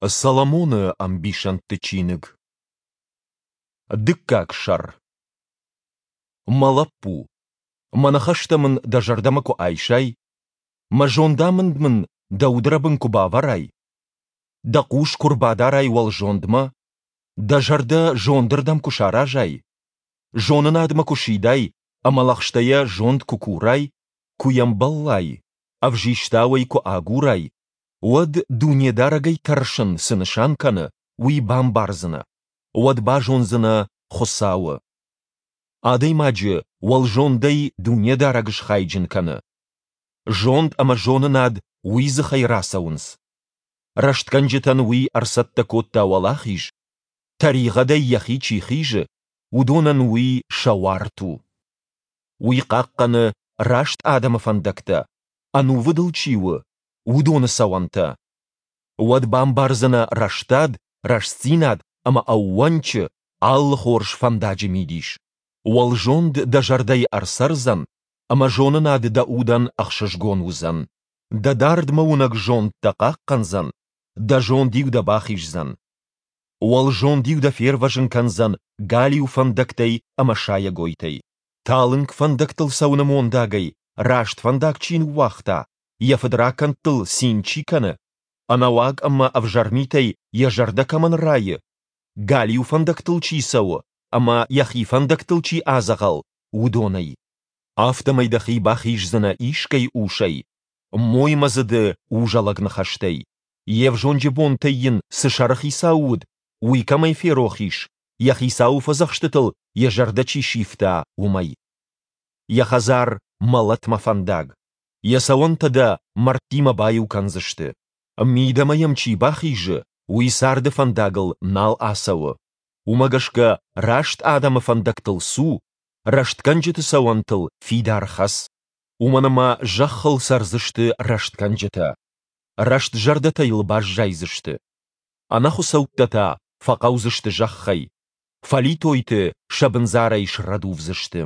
Соломоны ӕмбисӕндты чиныг. Дыккаг сӕр. Мӕ лӕппу, мӕ ныхӕстӕ мын дӕ зӕрдӕмӕ куы айсай, мӕ зондамынд мын дӕ удрӕбын куы бавӕрай, дӕ хъус куы рбадарай уӕлзондмӕ, дӕ зӕрдӕ зондырдӕм куы саразай, зонынадмӕ куы сидай ӕмӕ лӕгъстӕйӕ зонд куы курай, куы йӕм бӕллай, ӕвзистау ӕй куы агурай, уӕд Дунедарӕгӕй тӕрсын цы нысан кӕны, уый бамбардзынӕ, уӕд базондзынӕ Хуыцауы. Адӕймаджы уӕлзондӕй Дунедарӕг схайджын кӕны. Зонд ӕмӕ зонынад уый дзыхӕй рацӕуынц. Рӕстгӕнджытӕн уый ӕрцӕттӕ кодта уӕлахиз, тӕригъӕдӕй йӕхи чи хизы, уыдонӕн уый сӕ уарт у. Уый хъахъхъӕны раст адӕмы фӕндӕгтӕ, ӕнувыд ыл чи у, уыдоны цӕуӕнтӕ. Уӕд бамбардзынӕ рӕстад, рӕстдзинад ӕмӕ ӕууӕнчы, алы хорз фӕндаджы мидис. Уӕлзонд дӕ зӕрдӕйы ӕрцӕрдзӕн, ӕмӕ зонынад дӕ удӕн ӕхсызгон уыдзӕн. Дӕ дардмӕуынӕг зонд дӕ хъахъхъӕндзӕн, дӕ зонд-иу дӕ бахиздзӕн. Уӕлзонд-иу дӕ фервӕзын кӕндзӕн галиу фӕндӕгтӕй ӕмӕ сайӕгойтӕй. Талынг фӕндӕгтыл цӕуыны мондагӕй раст фӕндаг чи ныууагъта, йӕ фыдракӕндтыл цин чи кӕны, ӕнӕуаг ӕмӕ ӕвзӕр митӕй йӕ зӕрдӕ кӕмӕн райы, галиу фӕндӕгтыл чи цӕуы ӕмӕ йӕхи фӕндӕгтыл чи адзӕгъӕл, уыдонӕй. Афтӕмӕй дӕхи бахиздзынӕ искӕй усӕй, моймӕдзыды узӕлӕг ныхӕстӕй, йе взонджы бонтӕй йын цы сӕрыхицау уыд, уый кӕмӕй ферох ис, йӕ хицауы фӕдзӕхстытыл йӕ зӕрдӕ чи сивта, уымӕй. Йӕ хӕдзар мӕлӕтмӕ фӕндаг, йӕ цӕуӕнтӕ дӕ мӕрдтимӕ баиу кӕндзысты. Мидӕмӕ йӕм чи бахизы, уый царды фӕндагыл нал ацӕуы. Уымӕ гӕсгӕ раст адӕмы фӕндӕгтыл цу, рӕстгӕнджыты цӕуӕнтыл фидар хӕц. Уымӕн ӕмӕ зӕххыл цӕрдзысты рӕстгӕнджытӕ. Рӕстзӕрдӕтӕ йыл баззайдзысты. Ӕнӕхуыцӕуттӕ та фӕхъӕудзысты зӕххӕй, фӕлитойты сӕ бындзарӕй срӕдувдзысты.